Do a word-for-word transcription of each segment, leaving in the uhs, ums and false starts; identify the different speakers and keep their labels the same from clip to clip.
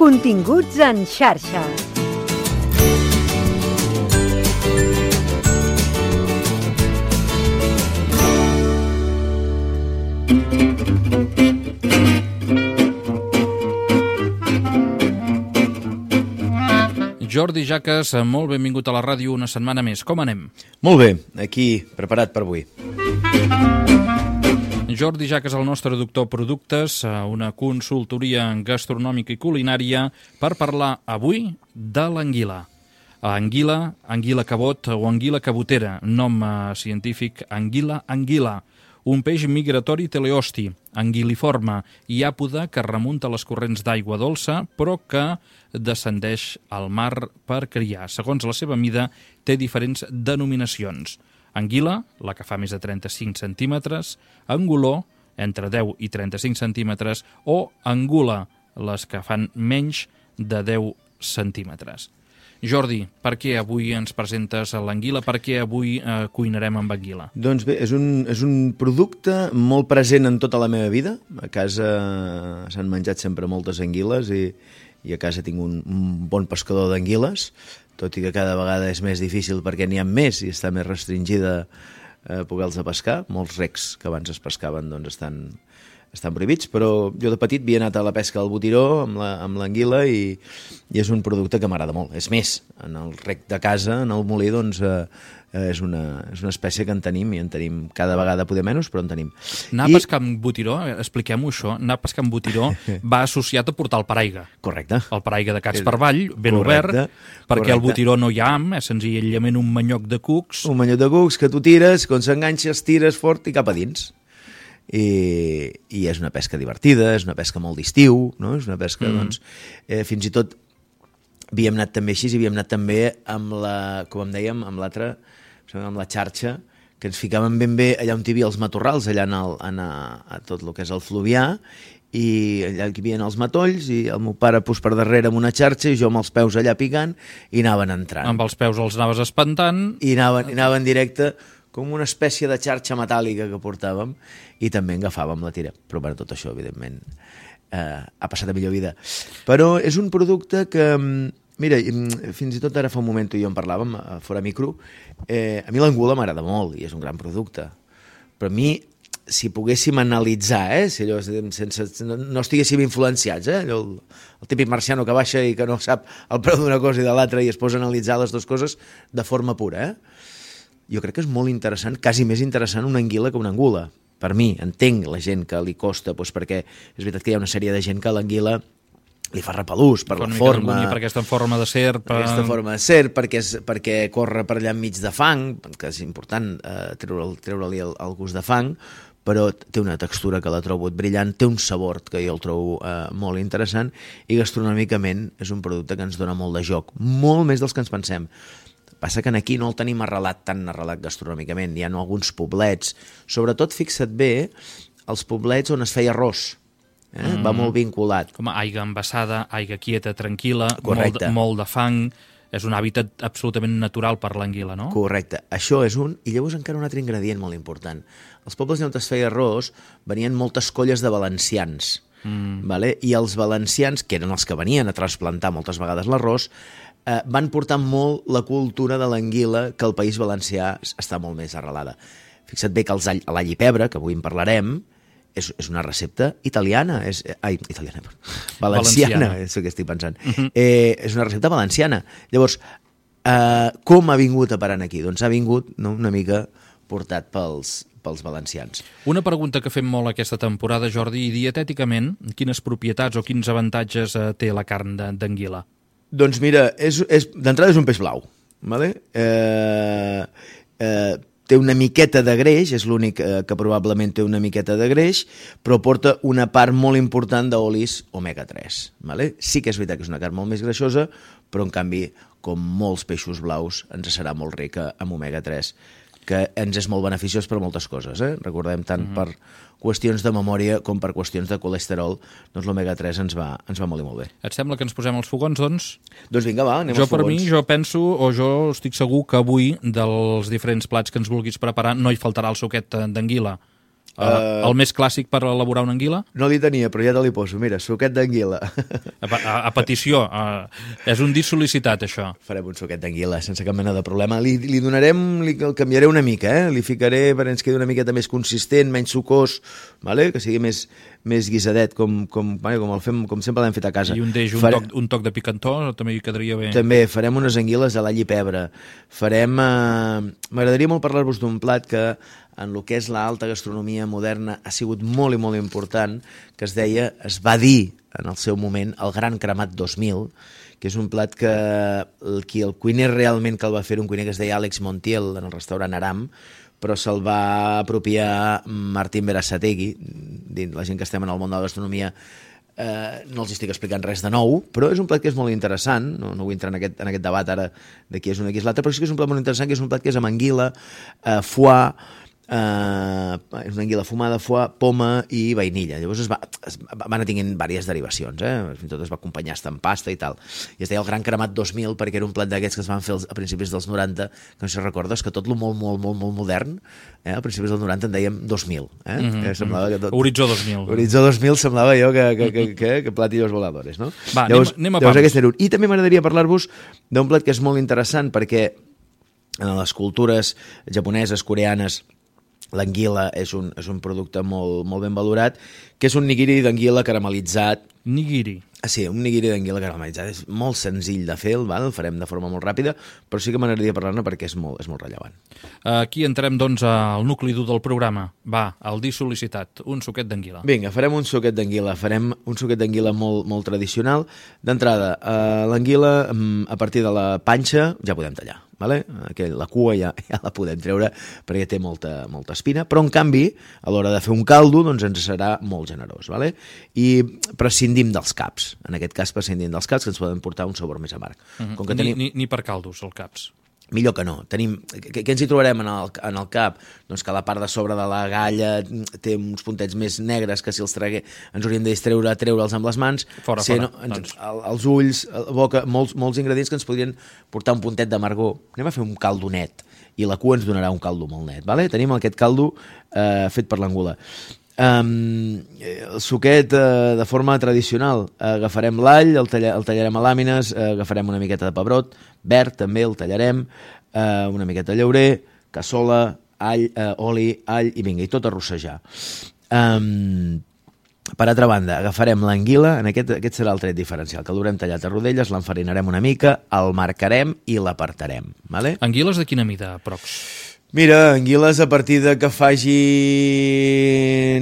Speaker 1: Continguts en xarxa.
Speaker 2: Jordi Jaques, molt benvingut a la ràdio una setmana més. Com anem?
Speaker 3: Molt bé, aquí, preparat per avui.
Speaker 2: Jordi Jaques, el nostre doctor productes, una consultoria gastronòmica i culinària per parlar avui de l'anguila. Anguila, anguila cabot o anguila cabotera, nom científic anguila anguila. Un peix migratori teleosti, anguiliforme i àpode que remunta les corrents d'aigua dolça, però que descendeix al mar per criar. Segons la seva mida, té diferents denominacions. Anguila, la que fa més de trenta-cinc centímetres, anguló, entre deu i trenta-cinc centímetres, o angula, les que fan menys de deu centímetres. Jordi, per què avui ens presentes l'anguila? Per què avui eh, cuinarem amb anguila?
Speaker 3: Doncs bé, és un, és un producte molt present en tota la meva vida. A casa s'han menjat sempre moltes anguiles i, i a casa tinc un, un bon pescador d'anguiles, tot i que cada vegada és més difícil perquè n'hi ha més i està més restringida eh, poder-los pescar. Molts recs que abans es pescaven doncs, estan... estan prohibits, però jo de petit havia anat a la pesca del botiró amb la, amb l'anguila i, i és un producte que m'agrada molt. És més, en el rec de casa, en el molí, doncs, eh, és, una, és una espècie que en tenim i en tenim cada vegada poder menys, però en tenim.
Speaker 2: Anar
Speaker 3: I...
Speaker 2: a pescar amb botiró, expliquem-ho això, anar a pescar amb botiró va associat a portar el paraigua.
Speaker 3: Correcte.
Speaker 2: El paraigua de Cats per Vall, ben
Speaker 3: correcte,
Speaker 2: obert, perquè
Speaker 3: correcte.
Speaker 2: al botiró no hi ha ham, és senzillament un manyoc de cucs.
Speaker 3: Un manyoc de cucs que tu tires, quan s'enganxes, tires fort i cap a dins. I, i és una pesca divertida, és una pesca molt d'estiu, no? És una pesca, mm. doncs, eh, fins i tot havíem anat també així, i havíem anat també amb la, com em dèiem, amb l'altra, amb la xarxa, que ens ficàvem ben bé allà on hi havia els matorrals, allà en el, en a, a tot el que és el Fluvià, i allà hi havia els matolls, i el meu pare pues, per darrere amb una xarxa, i jo amb els peus allà picant, i anaven entrant.
Speaker 2: Amb els peus els anaves espantant.
Speaker 3: I anaven, i anaven directe, com una espècie de xarxa metàl·lica que portàvem, i també en agafàvem la tira. Però bueno, tot això, evidentment, eh, ha passat a millor vida. Però és un producte que, mira, fins i tot ara fa un moment tu i jo en parlàvem, fora micro, eh, a mi l'angula m'agrada molt, i és un gran producte. Però a mi, si poguéssim analitzar, eh, si allò, sense, no, no estiguéssim influenciats, eh, allò, el, el típic marciano que baixa i que no sap el preu d'una cosa i de l'altra i es posa a analitzar les dues coses de forma pura, eh? Jo crec que és molt interessant, quasi més interessant una anguila que una angula. Per mi, entenc la gent que li costa, doncs perquè és veritat que hi ha una sèrie de gent que l'anguila li fa repelús per la forma...
Speaker 2: Per aquesta forma de serp.
Speaker 3: Per aquesta forma de serp, perquè, és, perquè corre per allà enmig de fang, que és important eh, treure-li treure el, el gust de fang, però té una textura que la trobo brillant, té un sabor que jo el trobo eh, molt interessant, i gastronòmicament és un producte que ens dona molt de joc, molt més dels que ens pensem. Passa que aquí no el tenim arrelat tan arrelat gastronòmicament. Hi ha alguns poblets, sobretot, fixa't bé, els poblets on es feia arròs. Eh? Mm. Va molt vinculat.
Speaker 2: Com a aigua embassada, aigua quieta, tranquil·la, molt, molt de fang. És un hàbitat absolutament natural per l'anguila, no?
Speaker 3: Correcte. Això és un... I llavors encara un altre ingredient molt important. Els pobles on es feia arròs venien moltes colles de valencians. Mm. Vale? I els valencians, que eren els que venien a trasplantar moltes vegades l'arròs, Eh, van portar molt la cultura de l'anguila, que al País Valencià està molt més arrelada. Fixa't bé que l'all, l'all i pebre, que avui en parlarem, és, és una recepta italiana, és, ai, italiana, valenciana, valenciana. És el que estic pensant. Uh-huh. eh, és una recepta valenciana. Llavors, eh, com ha vingut a parar aquí? Doncs ha vingut, no, una mica portat pels, pels valencians.
Speaker 2: Una pregunta que fem molt aquesta temporada, Jordi, i dietèticament, quines propietats o quins avantatges eh, té la carn d'anguila?
Speaker 3: Doncs mira, és, és, d'entrada és un peix blau, vale? eh, eh, té una miqueta de greix, és l'únic eh, que probablement té una miqueta de greix, però porta una part molt important d'olis omega tres. Vale? Sí que és veritat que és una carn molt més greixosa, però en canvi, com molts peixos blaus, ens serà molt rica amb omega tres, que ens és molt beneficiós per moltes coses. Eh? Recordem tant mm-hmm. per qüestions de memòria com per qüestions de colesterol, doncs l'omega tres ens va, ens va molt i molt bé.
Speaker 2: Et sembla que ens posem els fogons, doncs?
Speaker 3: Doncs vinga, va, anem
Speaker 2: jo,
Speaker 3: als fogons.
Speaker 2: Per mi, jo penso, o jo estic segur que avui, dels diferents plats que ens vulguis preparar, no hi faltarà el suquet d'anguila. Uh, el més clàssic per elaborar una anguila?
Speaker 3: No li tenia, però ja te li poso. Mira, suquet d'anguila.
Speaker 2: A, a, a petició. Uh, és un dit sol·licitat, això.
Speaker 3: Farem un suquet d'anguila, sense cap mena de problema. Li, li donarem, li, el canviaré una mica, eh? Li ficaré perquè ens quedi una miqueta més consistent, menys sucós, vale? Que sigui més, més guisadet, com, com, vale? com, el fem, com sempre l'hem fet a casa.
Speaker 2: I un deix, un, Fare... toc, un toc de picantó, també hi quedaria bé.
Speaker 3: També, farem unes anguiles a l'all i pebre. Farem... Eh... M'agradaria molt parlar-vos d'un plat que en el que és l'alta gastronomia moderna ha sigut molt i molt important, que es deia, es va dir en el seu moment, el Gran Cremat dos mil, que és un plat que el, qui el cuiner realment que el va fer, un cuiner que es deia Àlex Montiel, en el restaurant Aram, però se'l va apropiar Martín Berasategui, la gent que estem en el món de la gastronomia, Eh, no els estic explicant res de nou, però és un plat que és molt interessant, no, no vull entrar en aquest, en aquest debat ara de qui és un i qui és l'altre, però sí que és un plat molt interessant, que és un plat que és amb anguila, eh, foie, Uh, és una anguila fumada, foie, poma i vainilla. Llavors es va, es va anar tinguent diverses derivacions, eh? Fins i tot es va acompanyar hasta en pasta i tal, i es deia el Gran Cremat dos mil perquè era un plat d'aquests que es van fer a principis dels noranta, que no sé si recordes que tot lo molt, molt, molt, molt modern, eh? A principis dels noranta en dèiem dos mil, eh? Mm -hmm. Que semblava que tot...
Speaker 2: Horitzó dos mil.
Speaker 3: Horitzó dos mil semblava jo que, que, que, que, que platillos voladores, no?
Speaker 2: Va,
Speaker 3: llavors,
Speaker 2: anem, anem a
Speaker 3: llavors
Speaker 2: pams.
Speaker 3: Era un. I també m'agradaria parlar-vos d'un plat que és molt interessant perquè en les cultures japoneses, coreanes, l'anguila és un, és un producte molt, molt ben valorat, que és un nigiri d'anguila caramelitzat.
Speaker 2: Nigiri.
Speaker 3: Ah, sí, un nigiri d'anguila caramelitzat. És molt senzill de fer, val? El farem de forma molt ràpida, però sí que m'agradaria parlar-ne perquè és molt, és molt rellevant.
Speaker 2: Aquí entrem, doncs, al nucli dur del programa. Va, el dir sol·licitat, un suquet d'anguila.
Speaker 3: Vinga, farem un suquet d'anguila. Farem un suquet d'anguila molt, molt tradicional. D'entrada, eh, l'anguila, a partir de la panxa, ja podem tallar. Vale? Aquell, la cua ja, ja la podem treure perquè té molta, molta espina, però en canvi a l'hora de fer un caldo doncs ens serà molt generós, vale? I prescindim dels caps, en aquest cas prescindim dels caps que ens poden portar un sabor més amarg.
Speaker 2: Uh-huh.
Speaker 3: Com que
Speaker 2: ni,
Speaker 3: tenim...
Speaker 2: ni, ni per caldos, els caps.
Speaker 3: Millor que no. Tenim... Què, què ens hi trobarem en el, en el cap? Doncs que la part de sobre de la galla té uns puntets més negres que si els tragué ens hauríem de distreure, treure'ls amb les mans.
Speaker 2: Fora,
Speaker 3: si
Speaker 2: fora.
Speaker 3: No, ens,
Speaker 2: doncs.
Speaker 3: el, els ulls, la boca, molts, molts ingredients que ens podrien portar un puntet d'amargor. Anem a fer un caldo net i la cua ens donarà un caldo molt net. Vale? Tenim aquest caldo eh, fet per l'angula. Um, el suquet uh, de forma tradicional, uh, agafarem l'all, el, talla, el tallarem a làmines, uh, agafarem una miqueta de pebrot verd, també el tallarem, uh, una miqueta de llaurer, cassola, all, uh, oli, all i vinga, i tot a rossejar. Um, per altra banda, agafarem l'anguila, en aquest, aquest serà el tret diferencial, que l'haurem tallat a rodelles, l'enfarinarem una mica, el marcarem i l'apartarem. Vale?
Speaker 2: Anguiles de quina mida, prox?
Speaker 3: Mira, anguiles a partir de que fagin,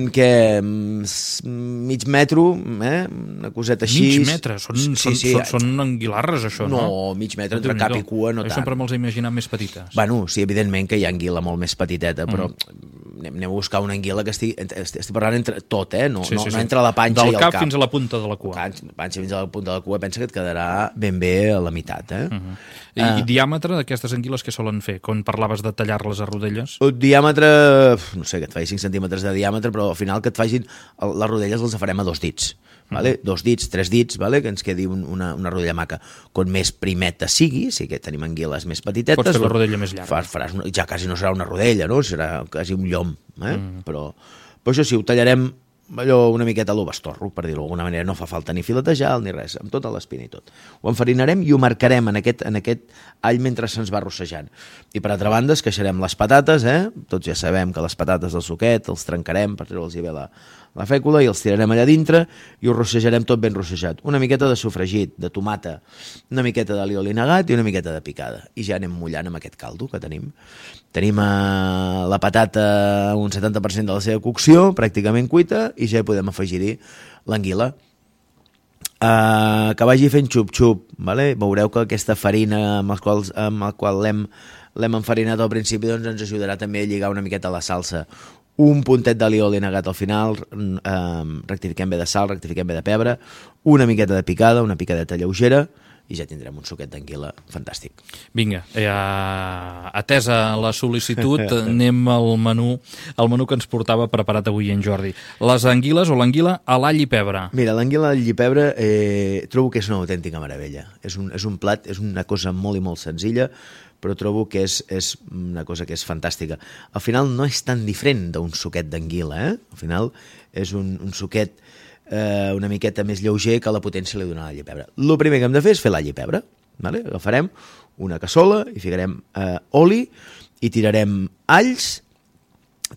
Speaker 3: què, mig metro, eh? Una coseta així.
Speaker 2: Mig metre? Són, sí, són, sí. són, són anguilarres, això, no?
Speaker 3: No, mig metre entre cap i cua, no
Speaker 2: jo
Speaker 3: tant.
Speaker 2: Jo sempre me'ls he imaginat més petites.
Speaker 3: Bueno, sí, evidentment que hi ha anguila molt més petiteta, però mm. anem, anem a buscar una anguila que estigui, estic parlant entre tot, eh? No, sí, sí, no, sí. no entre la panxa
Speaker 2: Del
Speaker 3: i el cap.
Speaker 2: Del cap fins a la punta de la cua.
Speaker 3: Panxa, panxa fins a la punta de la cua, pensa que et quedarà ben bé a la meitat, eh?
Speaker 2: Uh -huh. I, uh, I diàmetre d'aquestes anguiles que solen fer? Quan parlaves de tallar-les a rodelles?
Speaker 3: El diàmetre, no sé, que et faci cinc centímetres de diàmetre, però al final que et facin les rodelles les farem a dos dits, vale? Uh-huh. Dos dits, tres dits, vale? Que ens quedi un, una, una rodella maca. Com més primeta sigui, si que tenim anguiles més petitetes...
Speaker 2: Pots fer la rodella més llarga.
Speaker 3: Fas, faràs una, ja quasi no serà una rodella, no? Serà quasi un llom, eh? Uh-huh. Però, però això sí, ho tallarem allò una miqueta a lo bastorro, per dir-ho d'alguna manera. No fa falta ni filetejar ni res, amb tota l'espina i tot. Ho enfarinarem i ho marcarem en aquest, en aquest all mentre se'ns va rossejant. I per altra banda, esqueixarem les patates, eh? Tots ja sabem que les patates del suquet els trencarem per treure'ls bé la, la fècula i els tirarem allà dintre i ho rossejarem tot ben rossejat. Una miqueta de sofregit, de tomata, una miqueta d'alioli negat i una miqueta de picada. I ja anem mullant amb aquest caldo que tenim. Tenim eh, la patata un setanta per cent de la seva cocció, pràcticament cuita, i ja hi podem afegir-hi l'anguila. Uh, que vagi fent xup-xup, vale? Veureu que aquesta farina amb, els quals, amb la qual l'hem l'hem enfarinat al principi doncs ens ajudarà també a lligar una miqueta la salsa. Un puntet d'alioli negat al final, eh, rectifiquem bé de sal, rectifiquem bé de pebre, una miqueta de picada, una picadeta lleugera, i ja tindrem un suquet d'anguila fantàstic.
Speaker 2: Vinga, eh, atesa la sol·licitud, anem al menú, al menú que ens portava preparat avui en Jordi. Les anguiles o l'anguila a l'all i pebre.
Speaker 3: Mira, l'anguila a l'all i pebre eh, trobo que és una autèntica meravella. És un, és un plat, és una cosa molt i molt senzilla, però trobo que és, és una cosa que és fantàstica. Al final no és tan diferent d'un suquet d'anguila, eh? Al final és un, un suquet eh, una miqueta més lleuger que la potència li dona l'all i pebre. El primer que hem de fer és fer l'all i pebre. Vale? Agafarem una cassola, hi ficarem eh, oli i tirarem alls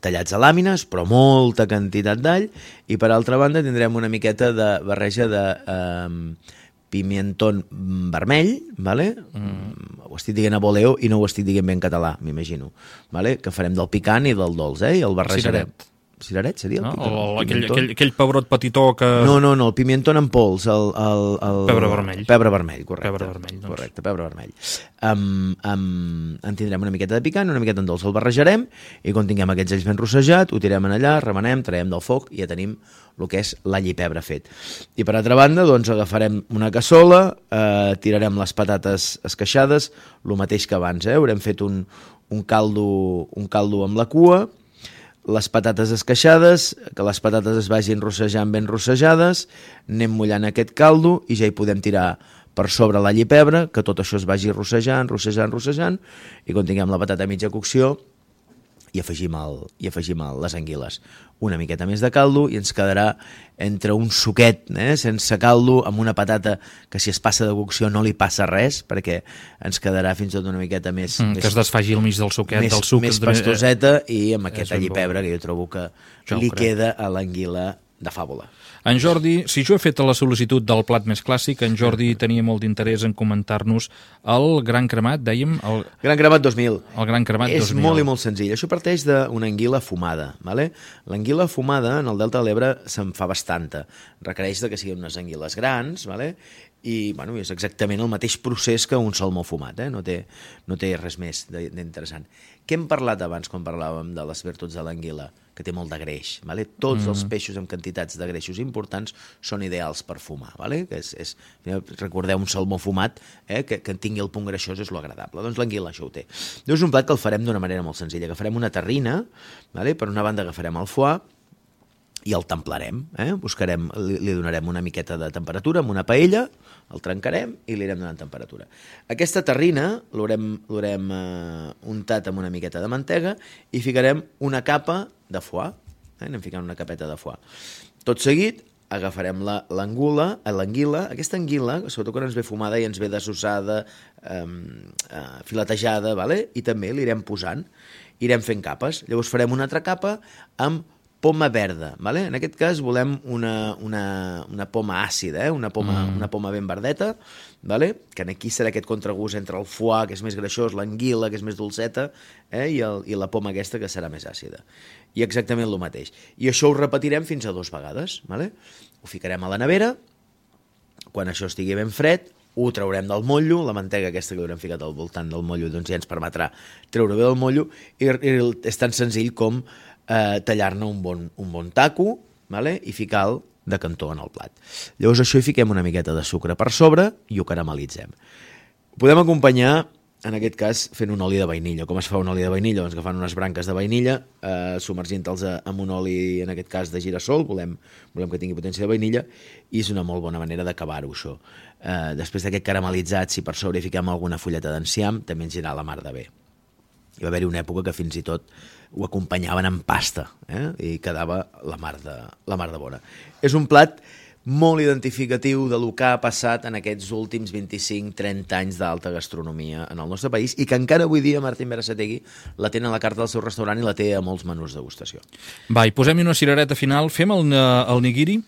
Speaker 3: tallats a làmines, però molta quantitat d'all, i per altra banda tindrem una miqueta de barreja de eh, pimientón vermell, vale? Mm. Ho estic dient a voleo i no ho estic dient bé en català, m'imagino, vale? Que farem del picant i del dolç, eh? I el barrejarem.
Speaker 2: Cireret.
Speaker 3: Cireret seria el
Speaker 2: no?
Speaker 3: picant?
Speaker 2: O aquell, aquell, aquell pebrot petitó que...
Speaker 3: No, no, no, el pimientón en pols, el... el, el...
Speaker 2: Pebre vermell.
Speaker 3: Pebre vermell, correcte.
Speaker 2: Pebre vermell, doncs.
Speaker 3: Correcte, pebre vermell. Um, um, en tindrem una miqueta de picant, una miqueta en dolç, el barrejarem, i quan tinguem aquests alls ben rossejat, ho tirem en allà, remenem, traiem del foc, i ja tenim el que és l'all i pebre fet. I per altra banda, doncs, agafarem una cassola, eh, tirarem les patates esqueixades, el mateix que abans, eh? Haurem fet un, un, caldo, un caldo amb la cua, les patates esqueixades, que les patates es vagin rossejant ben rossejades, anem mullant aquest caldo i ja hi podem tirar per sobre l'all i pebre, que tot això es vagi rossejant, rossejant, rossejant, i quan tinguem la patata a mitja cocció i afegim, el, i afegim el, les anguiles. Una miqueta més de caldo i ens quedarà entre un suquet, eh, sense caldo, amb una patata que si es passa de cocció no li passa res, perquè ens quedarà fins i tot una miqueta més...
Speaker 2: Mm,
Speaker 3: més
Speaker 2: que es desfagi al mig del suquet,
Speaker 3: més,
Speaker 2: del suc.
Speaker 3: Més pastoseta i amb aquest all i
Speaker 2: bo.
Speaker 3: pebre que jo trobo que
Speaker 2: Jo
Speaker 3: li
Speaker 2: crec.
Speaker 3: queda a l'anguila de fàbula.
Speaker 2: En Jordi, si jo he fet la sol·licitud del plat més clàssic, en Jordi tenia molt d'interès en comentar-nos el Gran Cremat, dèiem? El,
Speaker 3: Gran Cremat dos mil.
Speaker 2: el Gran Cremat
Speaker 3: És
Speaker 2: dos mil.
Speaker 3: molt i molt senzill. Això parteix d'una anguila fumada. Vale? L'anguila fumada en el Delta de l'Ebre se'n fa bastanta. Requereix de que siguin unes anguiles grans, vale? I bueno, és exactament el mateix procés que un salmó fumat, eh? no, té, no té res més d'interessant. Què hem parlat abans quan parlàvem de les virtuts de l'anguila? Que té molt de greix. Vale? Tots mm. els peixos amb quantitats de greixos importants són ideals per fumar. Vale? Que és, és, recordeu un salmó fumat, eh? que, que tingui el punt greixós és lo agradable. Doncs l'anguila això ho té. És un plat que el farem d'una manera molt senzilla. Agafarem una terrina, vale? Per una banda agafarem el foie, i el templarem, eh? Buscarem, li, li donarem una miqueta de temperatura amb una paella, el trencarem i li anirem donant temperatura. Aquesta terrina l'haurem eh, untat amb una miqueta de mantega i ficarem una capa de foie, eh? Anem ficant una capeta de foie. Tot seguit agafarem l'angula, l'anguila, aquesta anguila, sobretot quan ens ve fumada i ens ve dessossada, eh, eh, filetejada, vale? I també l'irem posant, irem fent capes. Llavors farem una altra capa amb poma verda, vale? En aquest cas volem una, una, una poma àcida, eh? una, poma, mm. una poma ben verdeta, vale? Que aquí serà aquest contragust entre el foie, que és més greixós, l'anguila, que és més dolceta, eh? I, el, i la poma aquesta, que serà més àcida. I exactament el mateix. I això ho repetirem fins a dues vegades. Vale? Ho ficarem a la nevera, quan això estigui ben fred, ho traurem del motllo, la mantega aquesta que haurem ficat al voltant del motllo doncs ja ens permetrà treure bé del motllo, i, i és tan senzill com eh, tallar-ne un bon, un bon taco, vale? I ficar-lo de cantó en el plat. Llavors això hi fiquem una miqueta de sucre per sobre i ho caramelitzem. Ho podem acompanyar, en aquest cas, fent un oli de vainilla. Com es fa un oli de vainilla? Doncs agafant unes branques de vainilla, eh, submergint-los amb un oli, en aquest cas, de girassol, volem, volem que tingui potència de vainilla, i és una molt bona manera d'acabar-ho, això. Eh, després d'aquest caramelitzat, si per sobre hi fiquem alguna fulleta d'enciam, també ens anirà la mar de bé. Hi va haver-hi una època que fins i tot ho acompanyaven amb pasta, eh? I quedava la mar de, la mar de bona. És un plat molt identificatiu de lo que ha passat en aquests últims vint-i-cinc trenta anys d'alta gastronomia en el nostre país i que encara avui dia Martín Berasategui la té a la carta del seu restaurant i la té a molts menús de degustació.
Speaker 2: Va, i posem-hi una cirereta final. Fem el, el nigiri?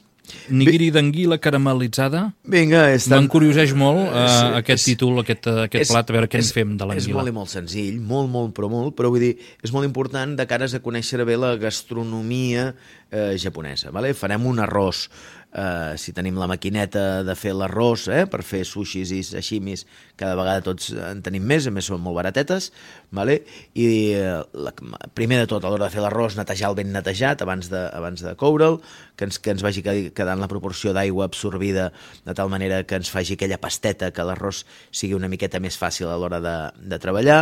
Speaker 2: Nigiri d'anguila caramelitzada.
Speaker 3: Vinga, és tan...
Speaker 2: M'encurioseix molt uh,
Speaker 3: és,
Speaker 2: aquest
Speaker 3: és,
Speaker 2: títol, aquest, aquest
Speaker 3: és,
Speaker 2: plat, a veure què
Speaker 3: és,
Speaker 2: en fem de l'anguila.
Speaker 3: És molt i molt senzill, molt, molt, però molt, però vull dir, és molt important de cares a conèixer bé la gastronomia eh, japonesa. Vale? Farem un arròs, eh, si tenim la maquineta de fer l'arròs, eh, per fer sushis i sashimis, cada vegada tots en tenim més, a més són molt baratetes, vale? I eh, la, primer de tot, a l'hora de fer l'arròs, netejar-lo ben netejat abans de, abans de coure'l, que ens, que ens vagi quedant la proporció d'aigua absorbida de tal manera que ens faci aquella pasteta, que l'arròs sigui una miqueta més fàcil a l'hora de, de treballar.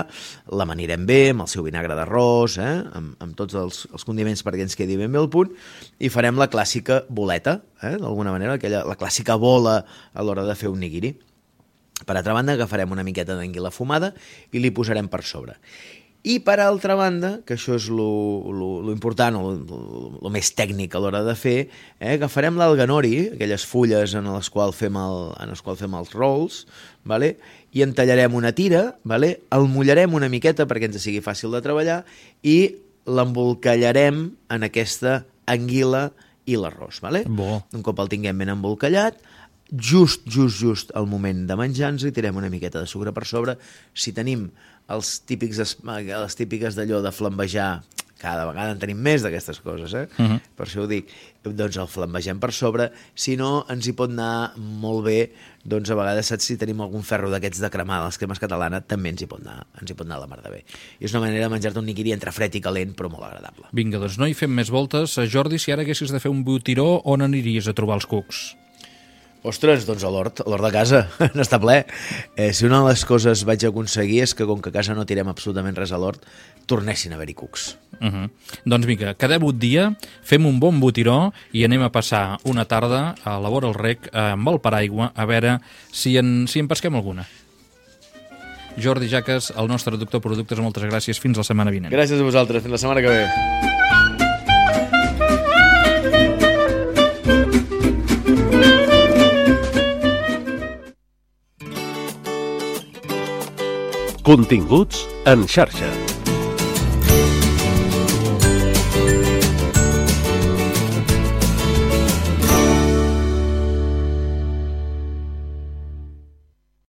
Speaker 3: L'amanirem bé, amb el seu vinagre d'arròs, eh? amb, amb tots els, els condiments perquè ens quedi ben bé al punt, i farem la clàssica boleta, eh? d'alguna manera, aquella, la clàssica bola a l'hora de fer un nigiri. Per altra banda, agafarem una miqueta d'anguila fumada i li posarem per sobre. I per altra banda, que això és lo, lo, lo important, o lo, lo més tècnic a l'hora de fer, eh, agafarem l'alga nori, aquelles fulles en les quals fem, el, en les quals fem els rolls, vale? I en tallarem una tira, vale? El mullarem una miqueta perquè ens sigui fàcil de treballar i l'embolcallarem en aquesta anguila i l'arròs. Vale?
Speaker 2: Bo. Un
Speaker 3: cop el tinguem ben embolcallat, just, just, just al moment de menjar-nos hi tirem una miqueta de sucre per sobre. Si tenim els típics, les típiques d'allò de flambejar, cada vegada en tenim més d'aquestes coses, eh? Uh-huh. Per això ho dic, doncs el flambegem per sobre. Si no, ens hi pot anar molt bé, doncs a vegades, saps, si tenim algun ferro d'aquests de cremar de les cremes catalanes, també ens hi pot anar, ens hi pot anar la mar de bé. I és una manera de menjar-te un niquiri entre fred i calent, però molt agradable.
Speaker 2: Vinga, doncs no hi fem més voltes. Jordi, si ara haguessis de fer un botiró, on aniries a trobar els cucs?
Speaker 3: Ostres, doncs a l'hort, a l'hort de casa, n'està ple. Eh, si una de les coses vaig aconseguir és que, com que a casa no tirem absolutament res a l'hort, tornessin a haver-hi cucs.
Speaker 2: Uh-huh. Doncs vinga, quedem un dia, fem un bon botiró i anem a passar una tarda a la vora el rec amb el paraigua a veure si en, si en pesquem alguna. Jordi Jaques, el nostre doctor Productes, moltes gràcies. Fins la setmana vinent.
Speaker 3: Gràcies a vosaltres. Fins la setmana que ve.
Speaker 4: Continguts en xarxa.